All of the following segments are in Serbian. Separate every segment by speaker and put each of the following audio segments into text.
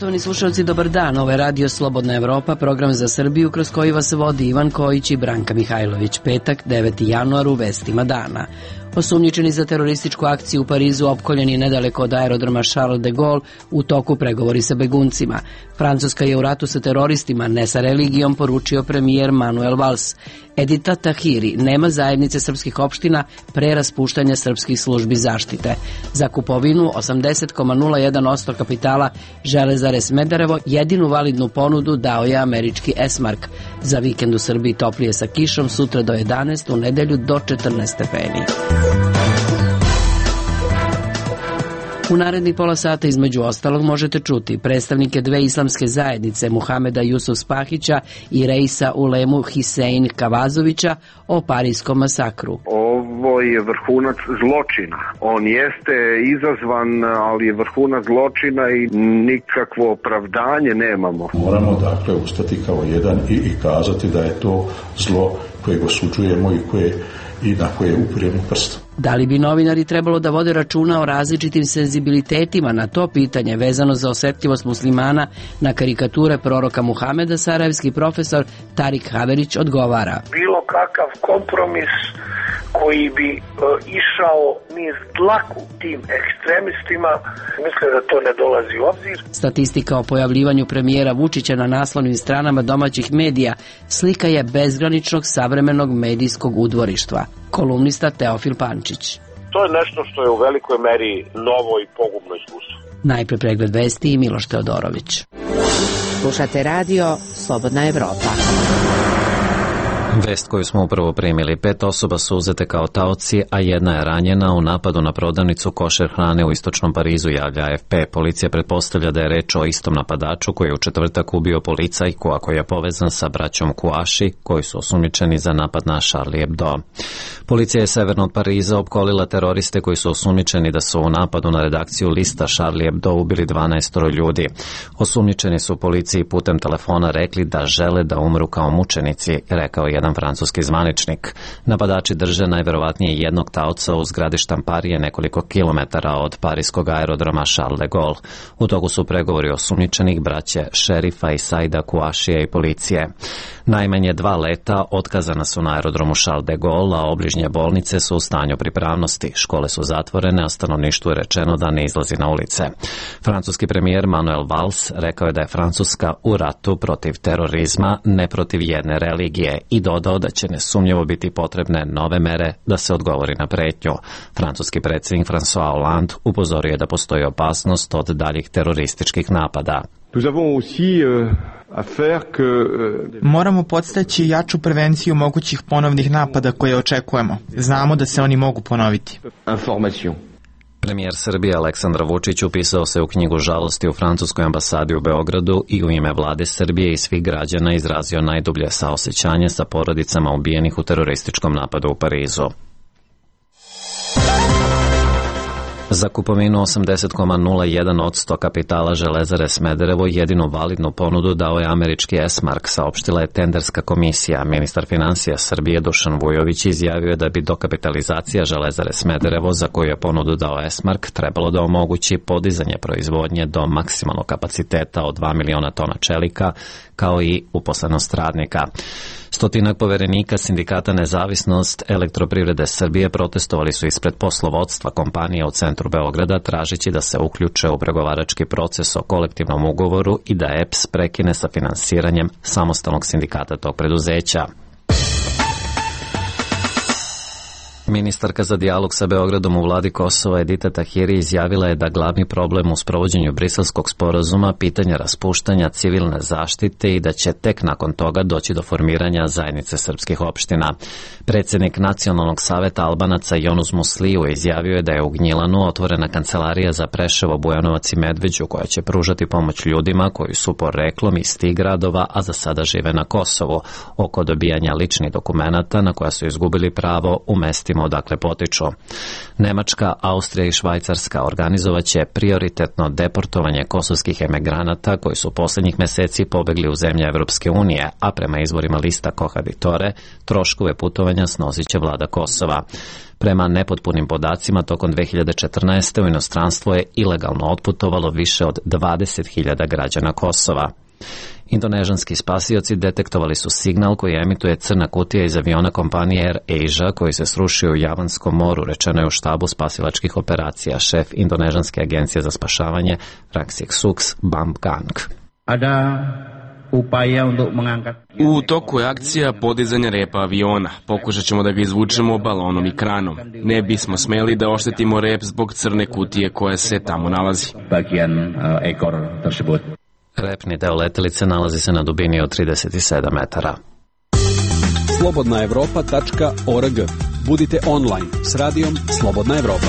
Speaker 1: Poštovani slušalci, dobar dan. Ovo je Radio Slobodna Evropa, program za Srbiju kroz koji vas vodi Ivan Kojić i Branka Mihajlović. Petak, 9. januar, u vestima dana. Osumnjičeni za terorističku akciju u Parizu opkoljeni nedaleko od aerodroma Charles de Gaulle, u toku pregovori sa beguncima. Francuska je u ratu sa teroristima, ne sa religijom, poručio premijer Manuel Valls. Edita Tahiri nema zajednice srpskih opština pre raspuštanja srpskih službi zaštite. Za kupovinu 80,01% kapitala Železare Smederevo jedinu validnu ponudu dao je američki Esmark. Za vikend u Srbiji toplije sa kišom, sutra do 11, u nedelju do 14 stepeni. U narednih pola sata između ostalog možete čuti predstavnike dve islamske zajednice Muhameda Jusuf Spahića i Reisa Ulemu Hisein Kavazovića o parijskom masakru.
Speaker 2: Ovo je vrhunac zločina. On jeste izazvan, ali je vrhunac zločina i nikakvo opravdanje nemamo.
Speaker 3: Moramo dakle ustati kao jedan i kazati da je to zlo kojeg osuđujemo i na koje upiremo prst.
Speaker 1: Da li bi novinari trebalo da vode računa o različitim senzibilitetima na to pitanje vezano za osetljivost muslimana na karikature proroka Muhameda, sarajevski profesor Tarik Haverić odgovara.
Speaker 4: Bilo kakav kompromis koji bi išao niz dlaku tim ekstremistima, mislim da to ne dolazi u obzir.
Speaker 1: Statistika o pojavljivanju premijera Vučića na naslovnim stranama domaćih medija slika je bezgraničnog savremenog medijskog udvorištva. Kolumnista Teofil Pančić.
Speaker 4: To je nešto što je u velikoj meri novo i pogubno iskustvo.
Speaker 1: Najpre pregled vesti i Miloš Teodorović.
Speaker 5: Slušate radio Slobodna Evropa.
Speaker 6: Vest koju smo upravo primili. 5 osoba su uzete kao taoci, a jedna je ranjena u napadu na prodavnicu košer hrane u istočnom Parizu, javlja AFP. Policija pretpostavlja da je reč o istom napadaču koji je u četvrtak ubio policajku, a koji je povezan sa braćom Kouachi, koji su osumnjičeni za napad na Charlie Hebdo. Policija je severno od Pariza opkolila teroriste koji su osumnjičeni da su u napadu na redakciju lista Charlie Hebdo ubili 12 ljudi. Osumnjičeni su policiji putem telefona rekli da žele da umru kao mučenici, rekao je jedan francuski zvaničnik. Napadači drže najverovatnije jednog taoca u zgradi štamparije nekoliko kilometara od parijskog aerodroma Charles de Gaulle. U toku su pregovori osumnjičenih braće šerifa i Saida Kouachija i policije. Najmanje 2 leta otkazana su na aerodromu Charles de Gaulle, a obližnje bolnice su u stanju pripravnosti. Škole su zatvorene, a stanovništvu je rečeno da ne izlazi na ulice. Francuski premijer Manuel Valls rekao je da je Francuska u ratu protiv terorizma, ne protiv jedne religije, i dodao da će nesumnjivo biti potrebne nove mere da se odgovori na pretnju. Francuski predsjednik François Hollande upozorio je da postoji opasnost od daljih terorističkih napada.
Speaker 7: Moramo podstaći jaču prevenciju mogućih ponovnih napada koje očekujemo. Znamo da se oni mogu ponoviti.
Speaker 6: Premijer Srbije Aleksandar Vučić upisao se u knjigu žalosti u francuskoj ambasadi u Beogradu i u ime vlade Srbije i svih građana izrazio najdublje saosećanje sa porodicama ubijenih u terorističkom napadu u Parizu. Za kupovinu 80,01% kapitala Železare Smederevo jedinu validnu ponudu dao je američki Esmark, saopštila je tenderska komisija. Ministar finansija Srbije Dušan Vujović izjavio je da bi dokapitalizacija Železare Smederevo, za koju je ponudu dao Esmark, trebalo da omogući podizanje proizvodnje do maksimalnog kapaciteta od 2 miliona tona čelika, kao i uposlenost radnika. Stotinak poverenika sindikata Nezavisnost Elektroprivrede Srbije protestovali su ispred poslovodstva kompanije u centru Beograda, tražeći da se uključe u pregovarački proces o kolektivnom ugovoru i da EPS prekine sa finansiranjem samostalnog sindikata tog preduzeća. Ministarka za dijalog sa Beogradom u vladi Kosova Edita Tahiri izjavila je da glavni problem u sprovođenju Briselskog sporazuma pitanje raspuštanja civilne zaštite i da će tek nakon toga doći do formiranja zajednice srpskih opština. Predsjednik Nacionalnog saveta Albanaca Jonuz Musliju izjavio je da je u Gnjilanu otvorena kancelarija za Preševo, Bujanovac i Medveđu koja će pružati pomoć ljudima koji su poreklom iz tih gradova, a za sada žive na Kosovu, oko dobijanja ličnih dokumenata na koja su izgubili pravo u mestima mjestima odakle potiču. Nemačka, Austrija i Švajcarska organizovaće prioritetno deportovanje kosovskih emigranata koji su posljednjih mjeseci pobegli u zemlje Evropske unije, a prema izvorima lista Kohaditore, troškove putovanja snosit će vlada Kosova. Prema nepotpunim podacima, tokom 2014. u inostranstvo je ilegalno otputovalo više od 20.000 građana Kosova. Indonežanski spasioci detektovali su signal koji emituje crna kutija iz aviona kompanije Air Asia koji se srušio u Javanskom moru, rečeno je u štabu spasilačkih operacija, šef Indonežanske agencije za spašavanje Raksik Suks Bambgang.
Speaker 8: U toku je akcija podizanja repa aviona. Pokušat ćemo da ga izvučemo balonom i kranom. Ne bismo smeli da oštetimo rep zbog crne kutije koja se tamo nalazi.
Speaker 6: Repni deo letelice nalazi se na dubini od 37 metara.
Speaker 9: slobodnaevropa.org. Budite online s radijom Slobodna Evropa.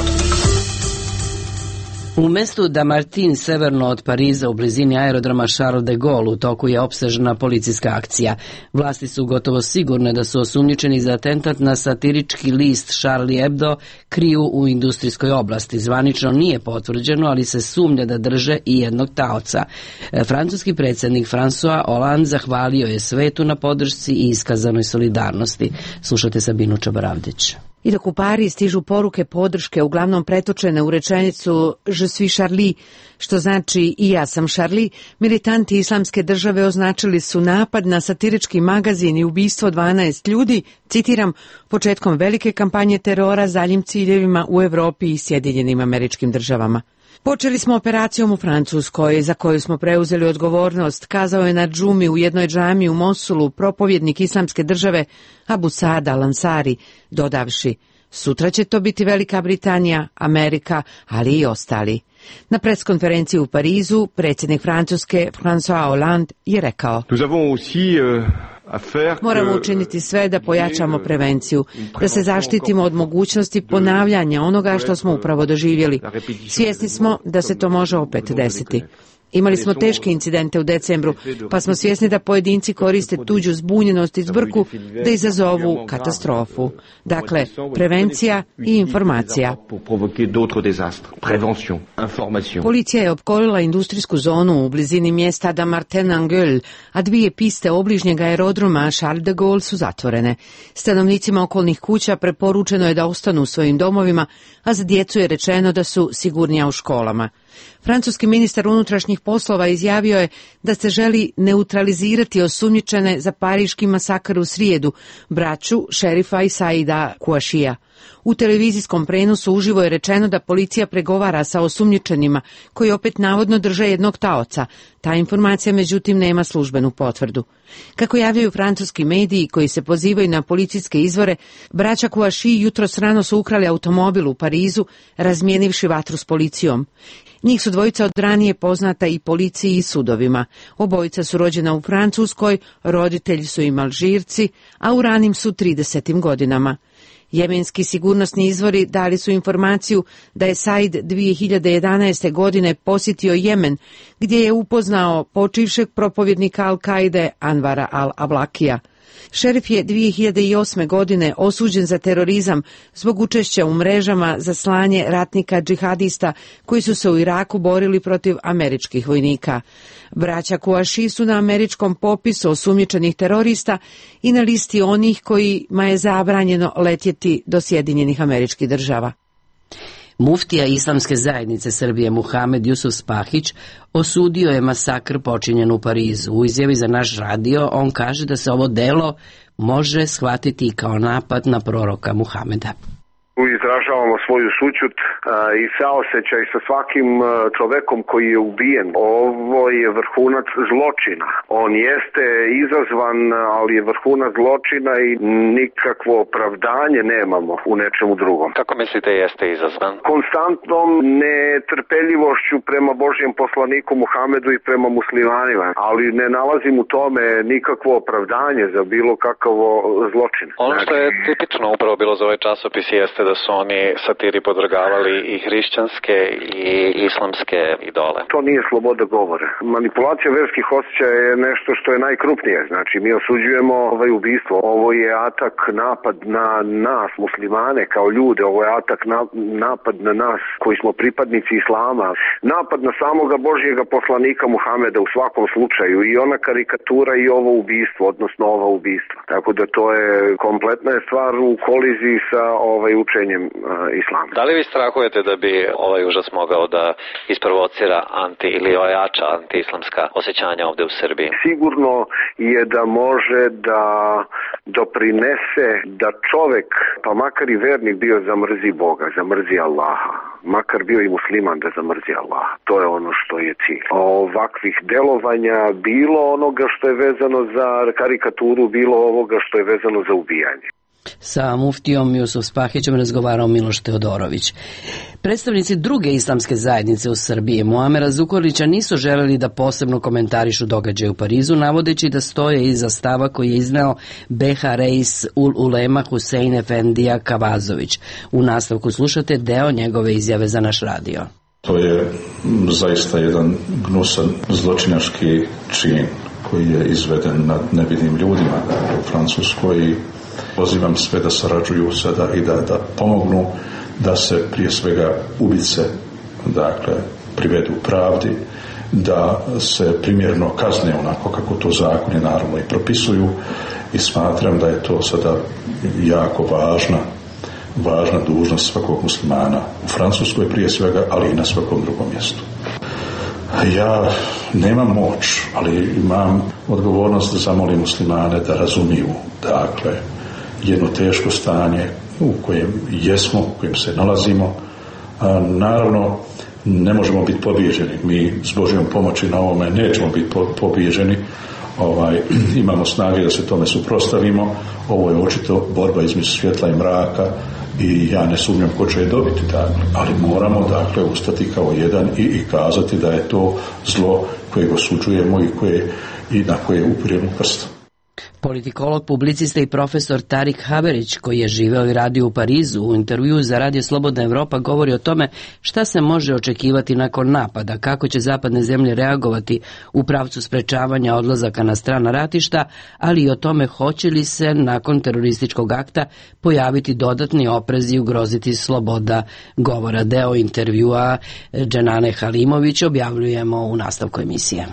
Speaker 1: U mestu Damartin, severno od Pariza, u blizini aerodroma Charles de Gaulle, u toku je opsežna policijska akcija. Vlasti su gotovo sigurne da su osumnjičeni za atentat na satirički list Charlie Hebdo kriju u industrijskoj oblasti. Zvanično nije potvrđeno, ali se sumnja da drže i jednog taoca. Francuski predsjednik François Hollande zahvalio je svetu na podršci i iskazanoj solidarnosti. Slušajte Sabinu Čabaravdić.
Speaker 5: I dok u Pariz stižu poruke podrške, uglavnom pretočene u rečenicu Je suis Charlie, što znači i ja sam Charlie, militanti Islamske države označili su napad na satirički magazin i ubistvo 12 ljudi, citiram, početkom velike kampanje terora zaljim ciljevima u Evropi i Sjedinjenim Američkim Državama. Počeli smo operacijom u Francuskoj, za koju smo preuzeli odgovornost, kazao je na džumi u jednoj džami u Mosulu propovjednik Islamske države Abu Saad al-Ansari, dodavši, sutra će to biti Velika Britanija, Amerika, ali i ostali. Na preskonferenciji u Parizu, predsjednik Francuske François Hollande je rekao: moramo učiniti sve da pojačamo prevenciju, da se zaštitimo od mogućnosti ponavljanja onoga što smo upravo doživjeli. Svjesni smo da se to može opet desiti. Imali smo teške incidente u decembru, pa smo svjesni da pojedinci koriste tuđu zbunjenost i zbrku da izazovu katastrofu. Dakle, prevencija i informacija. Policija je opkolila industrijsku zonu u blizini mjesta Damartin-en-Gueule, a 2 piste obližnjeg aerodroma Charles de Gaulle su zatvorene. Stanovnicima okolnih kuća preporučeno je da ostanu u svojim domovima, a za djecu je rečeno da su sigurnija u školama. Francuski ministar unutrašnjih poslova izjavio je da se želi neutralizirati osumnjičene za pariški masakr u srijedu, braću šerifa i Saida Kouashia. U televizijskom prenosu uživo je rečeno da policija pregovara sa osumnjičenima, koji opet navodno drže jednog taoca. Ta informacija međutim nema službenu potvrdu. Kako javljaju francuski mediji koji se pozivaju na policijske izvore, braća Kouachi jutros rano su ukrali automobil u Parizu, razmijenivši vatru s policijom. Njih su dvojica od ranije poznata i policiji i sudovima. Obojica su rođena u Francuskoj, roditelji su im Alžirci, a u ranim su 30. godinama. Jemenski sigurnosni izvori dali su informaciju da je Said 2011. godine posjetio Jemen, gdje je upoznao počivšeg propovjednika Al-Kaide Anvara al-Ablakija. Šerif je 2008. godine osuđen za terorizam zbog učešća u mrežama za slanje ratnika džihadista koji su se u Iraku borili protiv američkih vojnika. Braća Kouachi su na američkom popisu osumnjičenih terorista i na listi onih kojima je zabranjeno letjeti do Sjedinjenih Američkih Država.
Speaker 1: Muftija Islamske zajednice Srbije Muhamed Jusuf Spahić osudio je masakr počinjen u Parizu. U izjavi za naš radio on kaže da se ovo delo može shvatiti kao napad na proroka Muhameda.
Speaker 2: Izražavamo svoju sućut i saosećaj sa svakim čovekom koji je ubijen. Ovo je vrhunac zločina. On jeste izazvan, ali je vrhunac zločina i nikakvo opravdanje nemamo u nečemu drugom.
Speaker 6: Kako mislite jeste izazvan?
Speaker 2: Konstantnom netrpeljivošću prema Božjem poslaniku Muhamedu i prema muslimanima, ali ne nalazim u tome nikakvo opravdanje za bilo kakavo zločin.
Speaker 6: Ono što je tipično upravo bilo za ovaj časopis jeste da su oni satiri podvrgavali i hrišćanske i islamske idole?
Speaker 2: To nije sloboda govora. Manipulacija verskih osjećaja je nešto što je najkrupnije. Znači, mi osuđujemo ubistvo. Ovo je atak, napad na nas, muslimane, kao ljude. Ovo je atak, napad na nas koji smo pripadnici islama. Napad na samoga Božjega poslanika Muhameda u svakom slučaju. I ona karikatura i ovo ubistvo, odnosno ova ubistva. Tako da to je kompletna stvar u koliziji sa učenjem islama.
Speaker 6: Da li vi strahujete da bi ovaj užas mogao da isprovocira ili ojača antiislamska osjećanja ovde u Srbiji?
Speaker 2: Sigurno je da može da doprinese da čovek, pa makar i vernik bio, zamrzi Boga, zamrzi Allaha. Makar bio i musliman da zamrzi Allaha. To je ono što je cilj. Ovakvih delovanja, bilo onoga što je vezano za karikaturu, bilo ovoga što je vezano za ubijanje.
Speaker 1: Sa muftijom Jusuf Spahićem razgovarao Miloš Teodorović. Predstavnici druge islamske zajednice u Srbiji, Muamera Zukorlića, nisu želeli da posebno komentarišu događaje u Parizu, navodeći da stoje iza stava koji je izneo Beha Reis ul Ulema Husein Efendija Kavazović. U nastavku slušate deo njegove izjave za naš radio.
Speaker 3: To je zaista jedan gnusan zločinački čin koji je izveden nad nevinim ljudima u Francuskoj i pozivam sve da sarađuju sada i da pomognu da se prije svega ubice privedu pravdi, da se primjerno kazne onako kako to zakoni naravno i propisuju i smatram da je to sada jako važna dužnost svakog muslimana u Francuskoj prije svega, ali i na svakom drugom mjestu. Ja nemam moć, ali imam odgovornost da zamolim muslimane da razumiju, jedno teško stanje u kojem jesmo, u kojem se nalazimo. Naravno, ne možemo biti pobijeđeni. Mi s Božjom pomoći na ovome nećemo biti pobijeđeni. Imamo snage da se tome suprotstavimo. Ovo je očito borba između svjetla i mraka i ja ne sumnjam ko će je dobiti, ali moramo ustati kao jedan i kazati da je to zlo kojeg osuđujemo i na koje upiremo prstom.
Speaker 1: Politikolog, publicista i profesor Tarik Haberić, koji je živeo i radio u Parizu, u intervjuu za Radio Slobodna Evropa govori o tome šta se može očekivati nakon napada, kako će zapadne zemlje reagovati u pravcu sprečavanja odlazaka na strana ratišta, ali i o tome hoće li se nakon terorističkog akta pojaviti dodatni oprezi i ugroziti sloboda govora. Deo intervjua Dženane Halimović objavljujemo u nastavku emisije.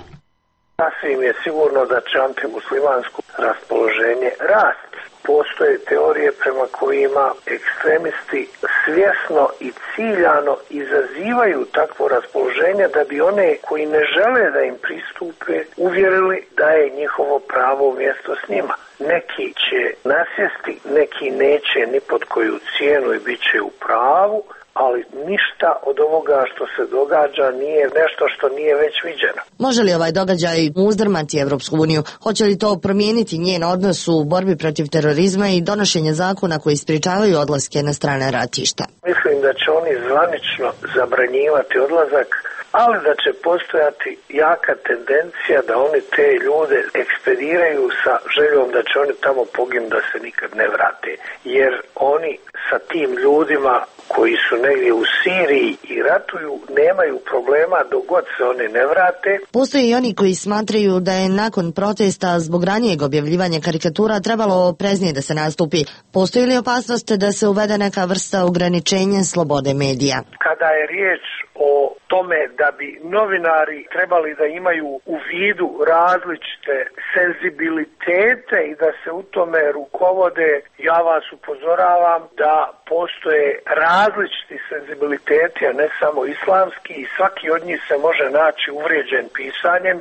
Speaker 4: Sasvim je sigurno da će antimuslimansko raspoloženje rasti. Postoje teorije prema kojima ekstremisti svjesno i ciljano izazivaju takvo raspoloženje da bi one koji ne žele da im pristupe uvjerili da je njihovo pravo mjesto s njima. Neki će nasjesti, neki neće ni pod koju cijenu i bit će u pravu, ali ništa od ovoga što se događa nije nešto što nije već viđeno.
Speaker 10: Može li ovaj događaj uzdrmati Evropsku uniju? Hoće li to promijeniti njen odnos u borbi protiv terorizma i donošenje zakona koji sprječavaju odlaske na strane ratišta?
Speaker 4: Mislim da će oni zvanično zabranjivati odlazak, ali da će postojati jaka tendencija da oni te ljude ekspediraju sa željom da će oni tamo poginuti da se nikad ne vrate. Jer oni sa tim ljudima koji su negdje u Siriji i ratuju nemaju problema dok god se oni ne vrate.
Speaker 10: Postoje i oni koji smatraju da je nakon protesta zbog ranijeg objavljivanja karikatura trebalo opreznije da se nastupi. Postoji li opasnost da se uvede neka vrsta ograničenja slobode medija?
Speaker 4: Kada je riječ o tome da bi novinari trebali da imaju u vidu različite senzibilitete i da se u tome rukovode, ja vas upozoravam da postoje različiti senzibiliteti, a ne samo islamski, i svaki od njih se može naći uvrijeđen pisanjem.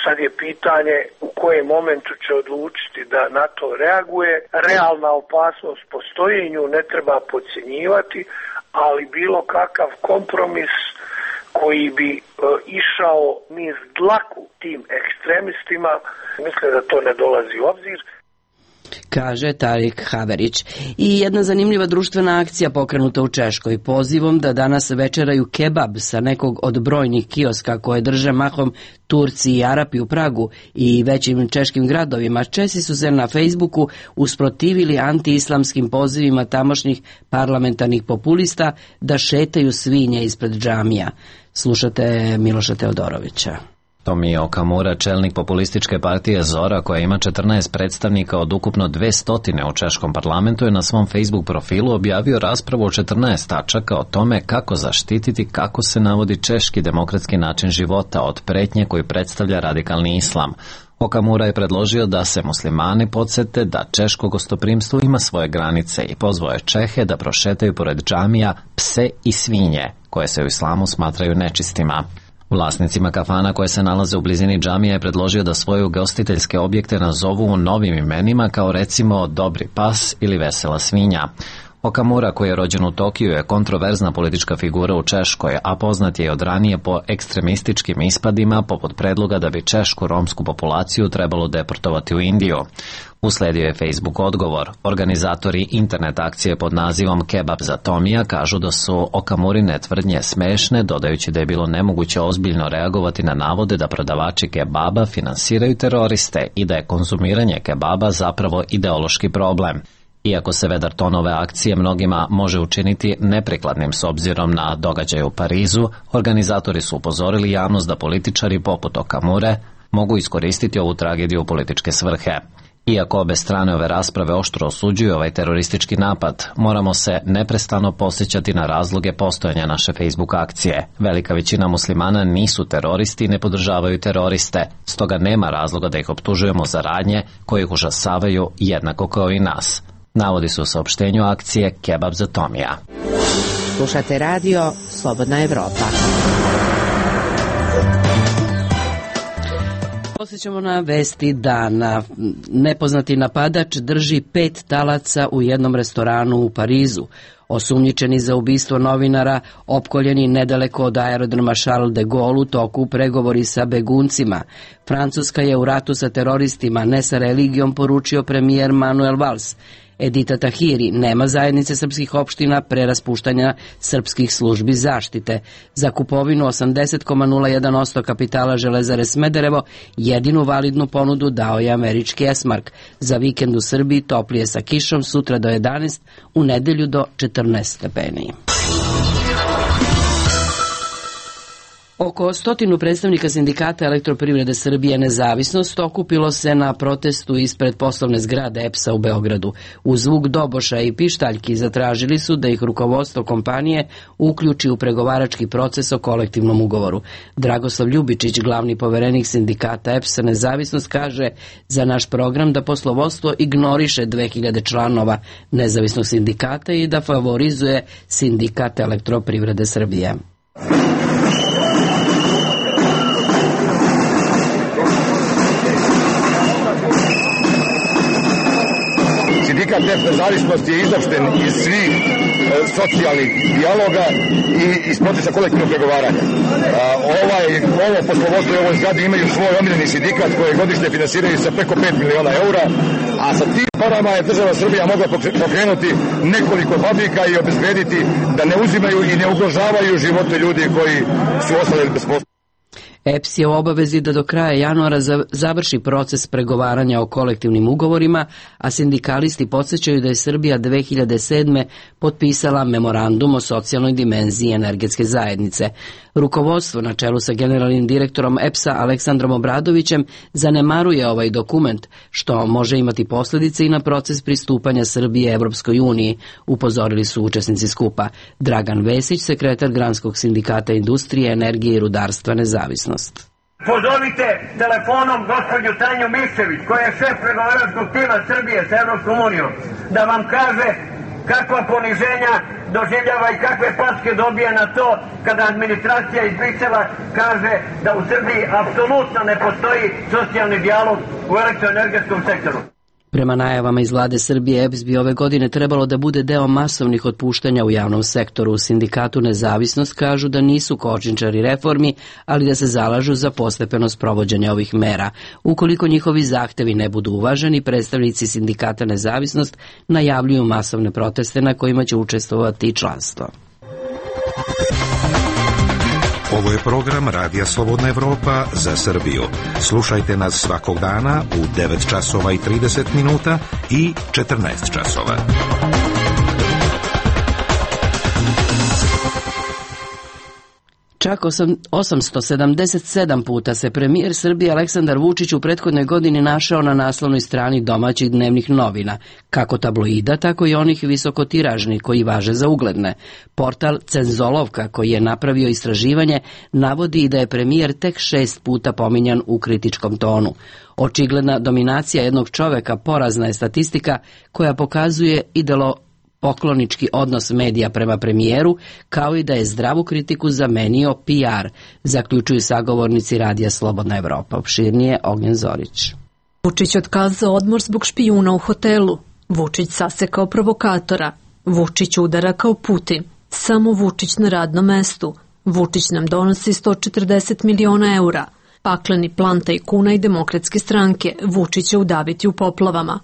Speaker 4: Sad je pitanje u kojem momentu će odlučiti da na to reaguje. Realna opasnost postoji i nju ne treba podcjenjivati, ali bilo kakav kompromis koji bi išao niz dlaku tim ekstremistima, mislim da to ne dolazi u obzir.
Speaker 1: kaže Tarik Haverić. I jedna zanimljiva društvena akcija pokrenuta u Češkoj pozivom da danas večeraju kebab sa nekog od brojnih kioska koje drže mahom Turci i Arapi u Pragu i većim češkim gradovima. Česi su se na Facebooku usprotivili anti-islamskim pozivima tamošnjih parlamentarnih populista da šetaju svinje ispred džamija. Slušate Miloša Teodorovića.
Speaker 6: Tomio Okamura, čelnik populističke partije Zora, koja ima 14 predstavnika od ukupno 200 u češkom parlamentu, je na svom Facebook profilu objavio raspravu o 14 tačaka o tome kako zaštititi kako se navodi češki demokratski način života od pretnje koju predstavlja radikalni islam. Okamura je predložio da se muslimani podsete da češko gostoprimstvo ima svoje granice i pozvao je Čehe da prošetaju pored džamija pse i svinje, koje se u islamu smatraju nečistima. Vlasnicima kafana koje se nalaze u blizini džamija je predložio da svoje ugostiteljske objekte nazovu novim imenima kao recimo Dobri pas ili Vesela svinja. Okamura, koji je rođen u Tokiju, je kontroverzna politička figura u Češkoj, a poznat je od ranije po ekstremističkim ispadima poput predloga da bi češku romsku populaciju trebalo deportovati u Indiju. Usledio je Facebook odgovor. Organizatori internet akcije pod nazivom Kebab za Tomija kažu da su Okamurine tvrdnje smešne, dodajući da je bilo nemoguće ozbiljno reagovati na navode da prodavači kebaba finansiraju teroriste i da je konzumiranje kebaba zapravo ideološki problem. Iako se vedar ton ove akcije mnogima može učiniti neprikladnim s obzirom na događaje u Parizu, organizatori su upozorili javnost da političari poput Okamure mogu iskoristiti ovu tragediju u političke svrhe. Iako obe strane ove rasprave oštro osuđuju ovaj teroristički napad, moramo se neprestano posjećati na razloge postojanja naše Facebook akcije. Velika većina muslimana nisu teroristi i ne podržavaju teroriste, stoga nema razloga da ih optužujemo za radnje koje ih užasavaju jednako kao i nas. Navodi se u saopštenju akcije Kebab za Tomija.
Speaker 5: Slušate radio Slobodna Evropa.
Speaker 1: Posjećamo na vesti dana. Nepoznati napadač drži 5 talaca u jednom restoranu u Parizu. Osumnjičeni za ubistvo novinara, opkoljeni nedaleko od aerodroma Charles de Gaulle u toku pregovori sa beguncima. Francuska je u ratu sa teroristima, ne sa religijom, poručio premijer Manuel Valls. Edita Tahiri, nema zajednice srpskih opština pre raspuštanja srpskih službi zaštite. Za kupovinu 80,01% kapitala Železare Smederevo jedinu validnu ponudu dao je američki Esmark. Za vikend u Srbiji toplije sa kišom, sutra do 11, u nedelju do 14 stepeni. Oko 100 predstavnika sindikata Elektroprivrede Srbije Nezavisnost okupilo se na protestu ispred poslovne zgrade EPS-a u Beogradu. U zvuk doboša i pištaljki zatražili su da ih rukovodstvo kompanije uključi u pregovarački proces o kolektivnom ugovoru. Dragoslav Ljubičić, glavni poverenik sindikata EPS-a Nezavisnost, kaže za naš program da poslovodstvo ignoriše 2000 članova nezavisnog sindikata i da favorizuje sindikat Elektroprivrede Srbije.
Speaker 11: Sindikat Nezavisnosti je izopšten iz svih socijalnih dijaloga i iz procesa kolektivnog pregovaranja. Ovo poslovodstvo i ovoj zgradi imaju svoj omiljeni sindikat koje godišnje finansiraju sa preko 5 miliona eura, a sa tim parama je država Srbija mogla pokrenuti nekoliko fabrika i obezbediti da ne uzimaju i ne ugrožavaju živote ljudi koji su ostali bez posla.
Speaker 1: EPS je u obavezi da do kraja januara završi proces pregovaranja o kolektivnim ugovorima, a sindikalisti podsjećaju da je Srbija 2007. potpisala memorandum o socijalnoj dimenziji energetske zajednice. Rukovodstvo na čelu sa generalnim direktorom EPS-a Aleksandrom Obradovićem zanemaruje ovaj dokument, što može imati posljedice i na proces pristupanja Srbije Evropskoj uniji, upozorili su učesnici skupa. Dragan Vesić, sekretar Granskog sindikata industrije, energije i rudarstva Nezavisnost.
Speaker 12: Pozovite telefonom gospođu Tanju Mišević, koja je šef pregovaračkog tima Srbije sa Evropskom unijom, da vam kaže kakva poniženja doživljava i kakve packe dobije na to kada administracija iz Brisela kaže da u Srbiji apsolutno ne postoji socijalni dijalog u elektroenergetskom sektoru.
Speaker 1: Prema najavama iz vlade Srbije, EPS bi ove godine trebalo da bude deo masovnih otpuštanja u javnom sektoru. U sindikatu Nezavisnost kažu da nisu kočničari reformi, ali da se zalažu za postepeno sprovođenje ovih mera. Ukoliko njihovi zahtevi ne budu uvaženi, predstavnici sindikata Nezavisnost najavljuju masovne proteste na kojima će učestvovati i članstvo.
Speaker 13: Ovo je program Radija Slobodna Evropa za Srbiju. Slušajte nas svakog dana u 9 časova i 30 minuta i 14 časova.
Speaker 1: Čak 877 puta se premijer Srbije Aleksandar Vučić u prethodnoj godini našao na naslovnoj strani domaćih dnevnih novina, kako tabloida, tako i onih visokotiražnih koji važe za ugledne. Portal Cenzolovka, koji je napravio istraživanje, navodi da je premijer tek 6 puta pominjan u kritičkom tonu. Očigledna dominacija jednog čoveka porazna je statistika koja pokazuje poklonički odnos medija prema premijeru, kao i da je zdravu kritiku zamenio PR, zaključuju sagovornici Radija Slobodna Evropa. Opširnije Ognjen Zorić.
Speaker 14: Vučić otkazao odmor zbog špijuna u hotelu. Vučić sasekao provokatora. Vučić udara kao Putin. Samo Vučić na radnom mestu. Vučić nam donosi 140 miliona eura. Pakleni plan tajkuna i Demokratske stranke. Vučića udaviti u poplavama.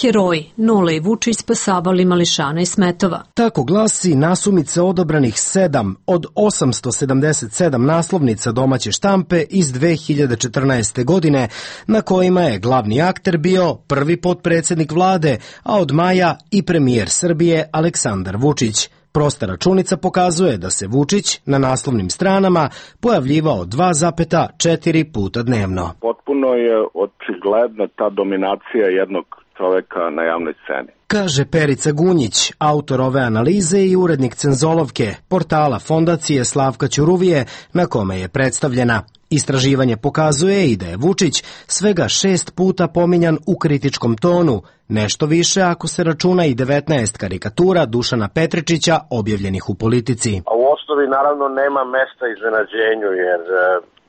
Speaker 14: Heroji, Nole i Vučić spasavali mališana i smetova.
Speaker 15: Tako glasi nasumice odabranih 7 od 877 naslovnica domaće štampe iz 2014. godine, na kojima je glavni akter bio prvi potpredsjednik vlade, a od maja i premijer Srbije Aleksandar Vučić. Prosta računica pokazuje da se Vučić na naslovnim stranama pojavljivao 2,4 puta dnevno.
Speaker 16: Potpuno je očigledna ta dominacija jednog čoveka na javnoj sceni.
Speaker 15: Kaže Perica Gunjić, autor ove analize i urednik Cenzolovke, portala Fondacije Slavka Ćuruvije, na kome je predstavljena. Istraživanje pokazuje i da je Vučić svega 6 puta pominjan u kritičkom tonu, nešto više ako se računa i 19 karikatura Dušana Petričića objavljenih u Politici.
Speaker 17: A u osnovi naravno nema mesta iznenađenju, jer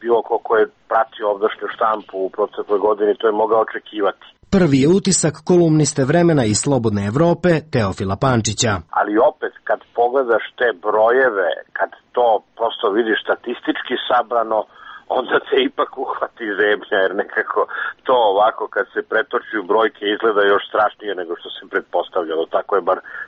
Speaker 17: bilo ko je pratio ovdašnju štampu u protekloj godini to je mogao očekivati.
Speaker 15: Prvi je utisak kolumniste Vremena i Slobodne Evrope Teofila Pančića.
Speaker 17: Ali opet, kad pogledaš te brojeve, kad to prosto vidiš statistički sabrano, onda te ipak uhvati zemlja, jer nekako to ovako kad se pretoči u brojke izgleda još strašnije nego što se pretpostavljalo.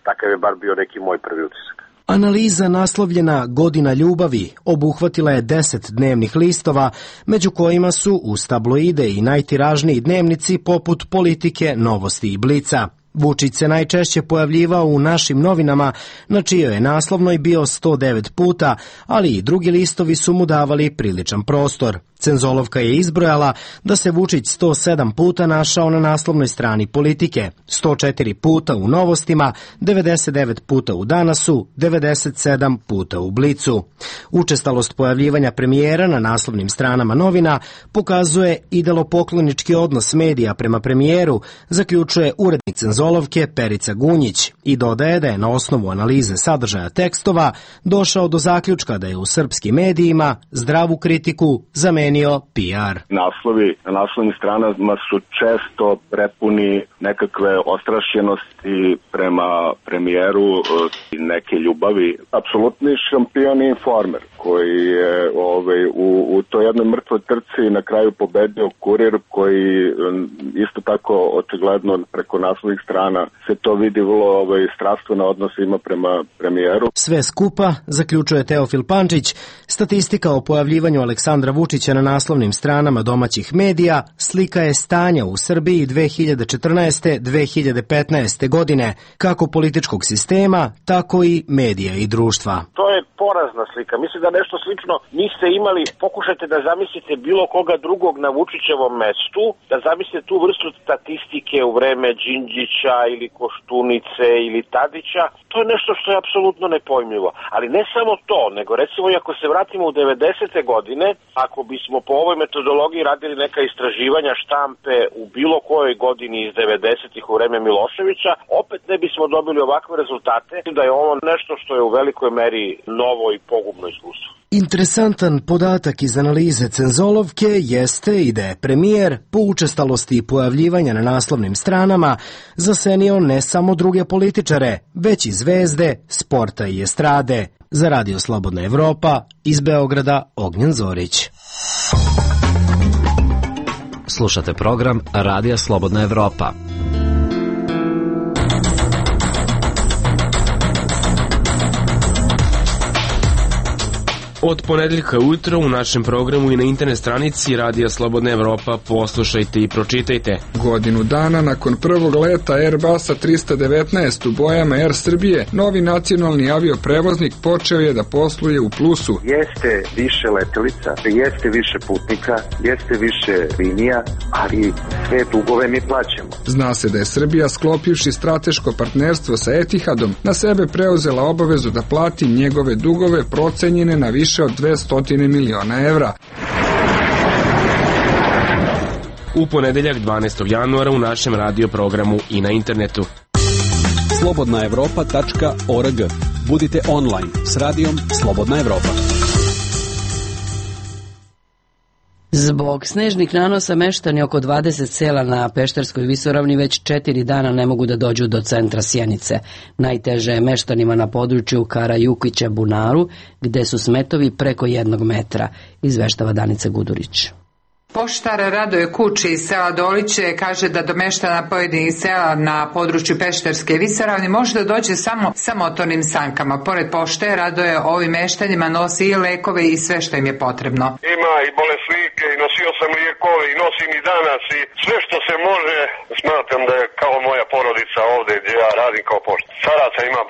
Speaker 17: Takav je bar bio neki moj prvi utisak.
Speaker 15: Analiza naslovljena Godina ljubavi obuhvatila je 10 dnevnih listova, među kojima su uz tabloide i najtiražniji dnevnici poput Politike, Novosti i Blica. Vučić se najčešće pojavljivao u Našim novinama, na čijoj je naslovnoj bio 109 puta, ali i drugi listovi su mu davali priličan prostor. Cenzolovka je izbrojala da se Vučić 107 puta našao na naslovnoj strani Politike, 104 puta u Novostima, 99 puta u Danasu, 97 puta u Blicu. Učestalost pojavljivanja premijera na naslovnim stranama novina pokazuje idolopoklonički odnos medija prema premijeru, zaključuje urednik Cenzolovke Perica Gunjić i dodaje da je na osnovu analize sadržaja tekstova došao do zaključka da je u srpskim medijima zdravu kritiku zamenio PR.
Speaker 16: Naslovi na naslovnim stranama su često prepuni nekakve ostrašćenosti prema premijeru i neke ljubavi. Apsolutni šampion i Informer koji je u toj jednoj mrtvoj trci na kraju pobedio Kurir, koji isto tako očigledno preko naslovnih strana se to vidi vrlo strastveno odnos ima prema premijeru.
Speaker 15: Sve skupa, zaključuje Teofil Pančić, statistika o pojavljivanju Aleksandra Vučića na naslovnim stranama domaćih medija slika je stanja u Srbiji 2014-2015. godine, kako političkog sistema, tako i medija i društva.
Speaker 17: To je porazna slika. Mislim da nešto slično niste imali. Pokušajte da zamislite bilo koga drugog na Vučićevom mestu, da zamislite tu vrstu statistike u vreme Đinđića ili Koštunice ili Tadića. To je nešto što je apsolutno nepojmljivo. Ali ne samo to, nego recimo i ako se vratimo u 90. godine, ako bismo po ovoj metodologiji radili neka istraživanja štampe u bilo kojoj godini iz 90-ih u vreme Miloševića, opet ne bismo dobili ovakve rezultate. Da je ovo nešto što je u velikoj meri novo novo i pogubno iskustvo.
Speaker 15: Interesantan podatak iz analize Cenzolovke jeste i da je premijer po učestalosti pojavljivanja na naslovnim stranama zasenio ne samo druge političare, već i zvezde, sporta i estrade. Za Radio Slobodna Evropa, iz Beograda, Ognjen Zorić.
Speaker 6: Slušate program Radija Slobodna Evropa.
Speaker 8: Od ponedeljka ujutro u našem programu i na internet stranici Radija Slobodna Evropa poslušajte i pročitajte.
Speaker 18: Godinu dana nakon prvog leta Airbusa 319 u bojama Air Srbije, novi nacionalni avioprevoznik počeo je da posluje u plusu.
Speaker 19: Jeste više letelica, jeste više putnika, jeste više linija, ali sve dugove mi plaćamo.
Speaker 18: Zna se da je Srbija, sklopivši strateško partnerstvo sa Etihadom, na sebe preuzela obavezu da plati njegove dugove procenjene na više od 200 miliona evra.
Speaker 8: U ponedeljak 12. januara u našem radio programu i na internetu.
Speaker 9: slobodnaevropa.org. Budite online s radijom Slobodna Evropa.
Speaker 1: Zbog snežnih nanosa meštani oko 20 sela na Pešterskoj visoravni već 4 dana ne mogu da dođu do centra Sjenice. Najteže je meštanima na području Karajukića Bunaru, gde su smetovi preko 1 metra, izveštava Danica Gudurić.
Speaker 20: Poštar Radoje Kuči iz sela Doliće kaže da do meštana pojedinih sela na području Pešterske visoravni može da dođe samo sa motornim sankama. Pored pošte, Radoje ovim meštanima nosi i lekove i sve što im je potrebno.
Speaker 21: Ima i bolesnike i nosio sam lijekove i nosim i danas i sve što se može. Smatram da je kao moja porodica ovde gdje ja radim kao poštar. Staraca ima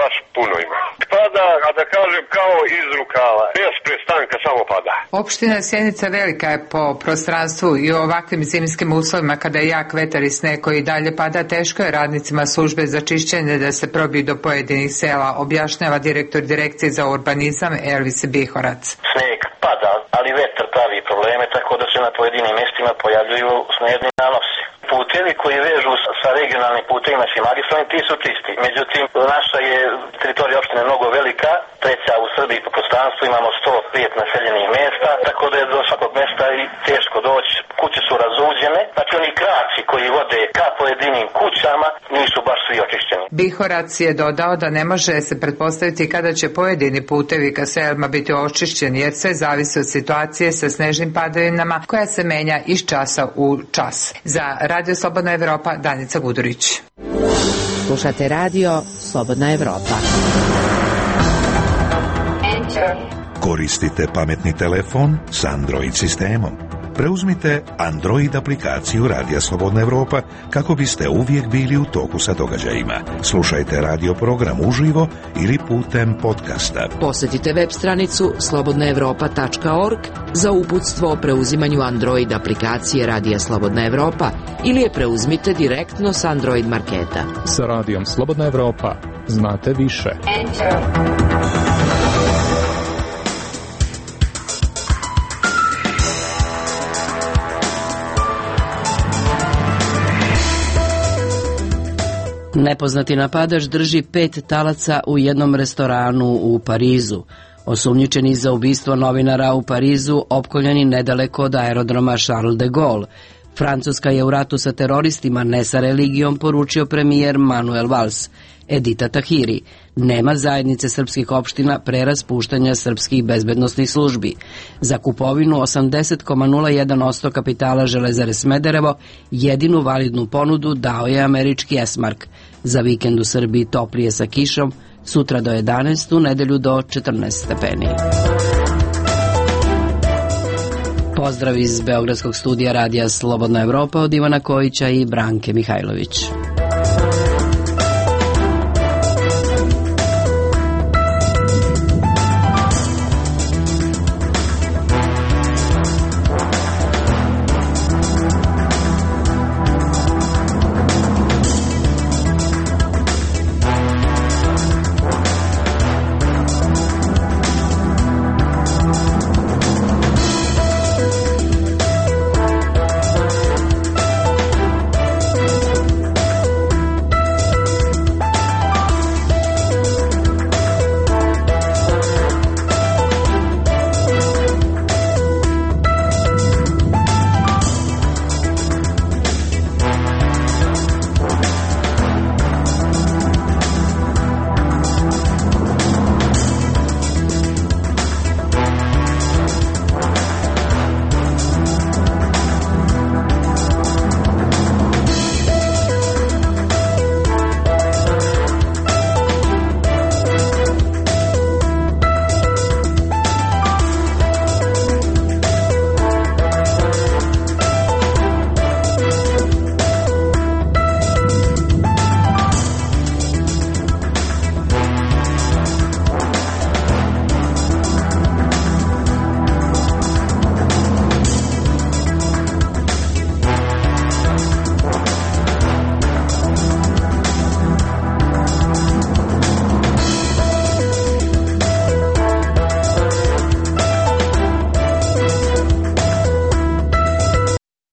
Speaker 21: baš puno ima. Pada, a da kažem kao iz rukava. Bez prestanka samo pada.
Speaker 20: Opština Sjenica velika je po prostranstvu i u ovakvim zimskim uslovima kada je jak vetar i sneg koji dalje pada, teško je radnicima službe za čišćenje da se probiju do pojedinih sela, objašnjava direktor direkcije za urbanizam Elvis Bihorac.
Speaker 22: Sneg pada, ali vetar pravi probleme, tako da se na pojedinim mjestima pojavljuju snežni nanosi. Putevi koji vežu sa regionalnim putevima i magistralnim, ti su čisti. Međutim, naša je teritorija opštine mnogo velika, treća u Srbiji po prostranstvu, imamo 105 naseljenih mjesta, tako da je do svakog mjesta i teško doći. Kuće su razuđene, znači oni kraci koji vode ka pojedinim kućama nisu baš svi očišćeni.
Speaker 20: Bihorac je dodao da ne može se pretpostaviti kada će pojedini putevi ka selima biti očišćeni, jer sve zavisi od situacije sa snežnim padavinama koja se menja iz časa u čas. Za Radio Slobodna Evropa, Danica Gudurić.
Speaker 5: Slušate radio Slobodna Evropa.
Speaker 13: Koristite pametni telefon s Android sistemom. Preuzmite Android aplikaciju Radija Slobodna Evropa kako biste uvijek bili u toku sa događajima. Slušajte radio program uživo ili putem podcasta.
Speaker 5: Posjetite web stranicu slobodnaevropa.org za uputstvo o preuzimanju Android aplikacije Radija Slobodna Evropa ili je preuzmite direktno s Android marketa.
Speaker 23: Sa Radijom Slobodna Evropa znate više.
Speaker 1: Nepoznati napadač drži 5 talaca u jednom restoranu u Parizu. Osumnjičeni za ubistvo novinara u Parizu opkoljeni nedaleko od aerodroma Charles de Gaulle. Francuska je u ratu sa teroristima, ne sa religijom, poručio premijer Manuel Valls. Edita Tahiri: nema zajednice srpskih opština pre raspuštanja srpskih bezbednostnih službi. Za kupovinu 80,01% kapitala Železare Smederevo jedinu validnu ponudu dao je američki Esmark. Za vikend u Srbiji toplije sa kišom, sutra do 11, u nedelju do 14 stepeni. Pozdrav iz Beogradskog studija Radija Slobodna Evropa od Ivana Kojića i Branke Mihajlović.